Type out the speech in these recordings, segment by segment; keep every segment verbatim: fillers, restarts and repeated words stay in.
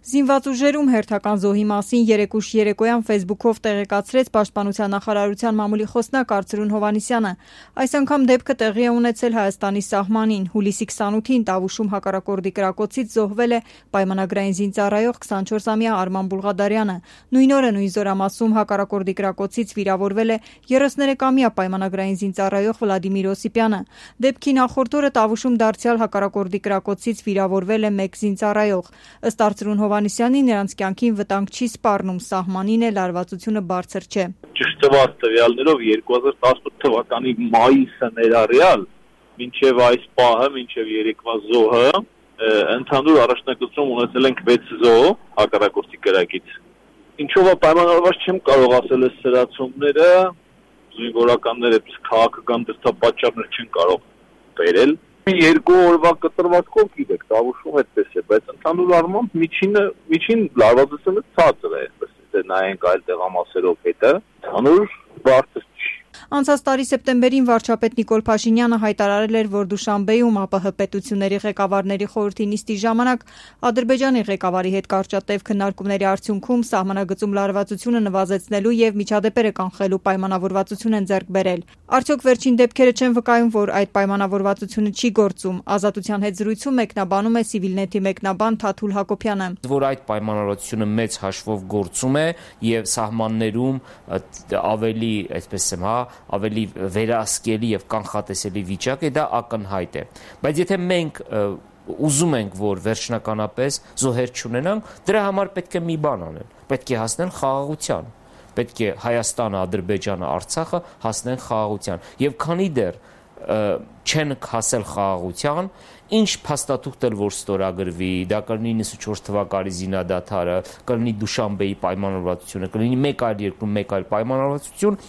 Զինված ուժերում հերթական զոհի մասին երեկուշ երեկոյան ֆեյսբուքով տեղեկացրեց Պաշտպանության նախարարության մամուլի խոսնակ Արծրուն Հովհաննիսյանը։ Այս անգամ դեպքը տեղի է ունեցել Հայաստանի սահմանին։ Հուլիսի քսանութին Տավուշում հակառակորդի կրակոցից զոհվել է պայմանագրային զինծառայող քսանչորսամյա Արման Բուլղադարյանը։ Նույն օրը նույն զորամասում հակառակորդի կրակոցից վիրավորվել է երեսներեքամյա պայմանագրային զինծառայող Վլադիմիր Օսիպյանը։ Դեպքի նախորդ օրը Տավուշում դարձյալ հակառակորդի կրակոցից վիրավորվել է մեկ զինծառայող։ Ըստ Արծրուն Հովհաննիսյանի, նրանց կյանքին վտանգ չի սպառնում, սահմանին է լարվածությունը բարձր չէ։ Ճշտ տված տվյալներով երկու հազար տասնութ թվականի մայիսը ներառյալ մինչև այս պահը, մինչև երեկվա զոհը, ընդհանուր առաջնակցություն ունեցել ենք վեց զոհ հակառակորդի կրակից։ Ինչով է պայմանավորված չեմ կարող ասել այս սրացումները, զինվորականները քաղաքական դրդապատճառներ չեն կարող բերել։ Երկու օրվա կտրվածքով գիտեք, Տավուշում այդպես է, բայց ընդհանուր առմամբ միջինը միջին լարվածությունը ցածր է, այսպես նայենք այլ տեղամասերով հետը, ընդհանուր բարձր չի։ Անցած տարի սեպտեմբերին վարչապետ Նիկոլ Փաշինյանը հայտարարել էր, որ Դուշանբեում ԱՊՀ պետությունների ղեկավարների խորհրդի նիստի ժամանակ Ադրբեջանի ղեկավարի հետ կարճատև քննարկումների արդյունքում սահմանագծում լարվածությունը նվազեցնելու եւ միջադեպերը կանխելու պայմանավորվածություն են ձեռք բերել։ Արդյոք վերջին դեպքերը չեն վկայում, որ այդ պայմանավորվածությունը չի գործում։ Ազատության հետ զրույցում մեկնաբանում է Civilnet-ի մեկնաբան Թաթուլ Հակոբյանը։ Որ այդ պայմանավորվածությունը մեծ հաշվով գործում է եւ սահմաններում ավելի, այսպես եմ, հա, ավելի վերահսկելի եւ կանխատեսելի վիճակ է, դա ակնհայտ է։ Բայց եթե մենք ուզում ենք, որ վերջնականապես զոհեր չունենանք, դրա համար պետք է մի բան անել։ Պետք է հասնել խաղաղության։ Պետք է Հայաստանը, Ադրբեջանը, Արցախը հասնեն խաղաղության։ Եվ քանի դեռ չեն հասել խաղաղության, ինչ փաստաթուղթ էլ որ ստորագրվի, դա կլինի նվեցունչորս թվականի զինադադարը, կլինի Դուշանբեի պայմանավորվածությունը, կլինի մեկ այլ երկրում մեկ այլ պայմանավորվածություն,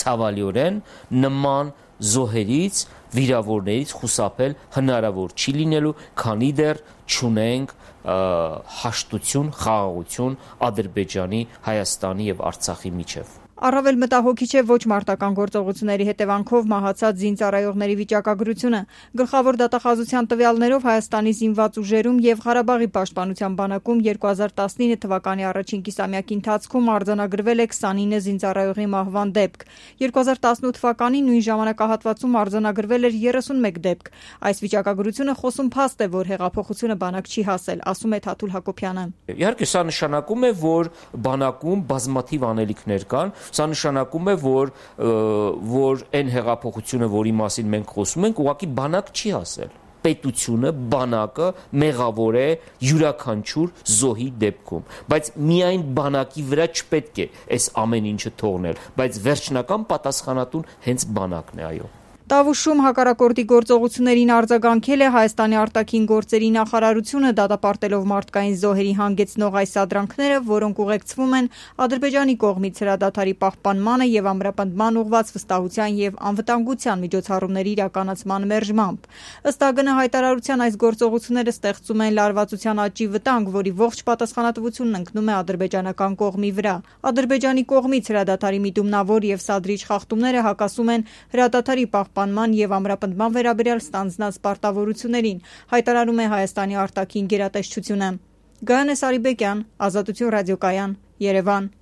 ցավալիորեն նման զոհերից, վիրավորներից խուսափել հնարավոր չի լինելու, քանի դեռ չունենք հաշտություն, խաղաղություն Ադրբեջանի, Հայաստանի եւ Արցախի միջև։ Առավել մտահոգիչ է ոչ մարտական գործողությունների հետևանքով մահացած զինծառայողների վիճակագրությունը։ Գլխավոր դատախազության տվյալներով Հայաստանի զինված ուժերում եւ Ղարաբաղի պաշտպանության բանակում երկու հազար տասնինը թվականի առաջին կիսամյակի ընթացքում արձանագրվել է քսանինը զինծառայողի մահվան դեպք։ երկու հազար տասնութ թվականին նույն ժամանակահատվածում արձանագրվել էր երեսունմեկ դեպք։ Այս վիճակագրությունը խոսում փաստ է, որ հեղափոխությունը բանակ չի հասել, ասում է Թաթուլ Հակոբյանը։ Իհարկե, սա նշանակում է, որ բանակում բազմաթիվ անելիքներ կան։ Սա նշանակում է, որ որ այն հեղափոխությունը, որի մասին մենք խոսում ենք, ուղղակի բանակ չի հասել։ Պետությունը, բանակը մեղավոր է յուրաքանչյուր զոհի դեպքում, բայց միայն բանակի վրա չպետք է այս ամեն ինչը թողնել, բայց վերջնական պատասխանատուն հենց բանակն է, այո։ Տավուշում հակառակորդի գործողություններին արձագանքել է Հայաստանի արտաքին գործերի նախարարությունը, դատապարտելով մարդկային զոհերի հանգեցնող այս սադրանքները, որոնք ուղեկցվում են Ադրբեջանի կողմից հրադադարի պահպանմանը եւ ամրապնդման ուղղված վստահության եւ անվտանգության միջոցառումների իրականացման մերժմամբ։ Ըստ ԱԳՆ հայտարարության այս գործողությունները ստեղծում են լարվածության աճի վտանգ, որի ողջ պատասխանատվությունն ընկնում է ադրբեջանական կողմի վրա։ Ադրբեջանի կողմից հրադադարի միտումնավոր եւ սադրիչ խախտումները հակասում են հրադադարի պահպանման եւ ամրապնդման վերաբերյալ ստանձնած պարտավորություններին, հայտարարում է Հայաստանի արտաքին գերատեսչությունը։ Գայանե Սարիբեկյան, Ազատություն ռադիոկայան, Երևան։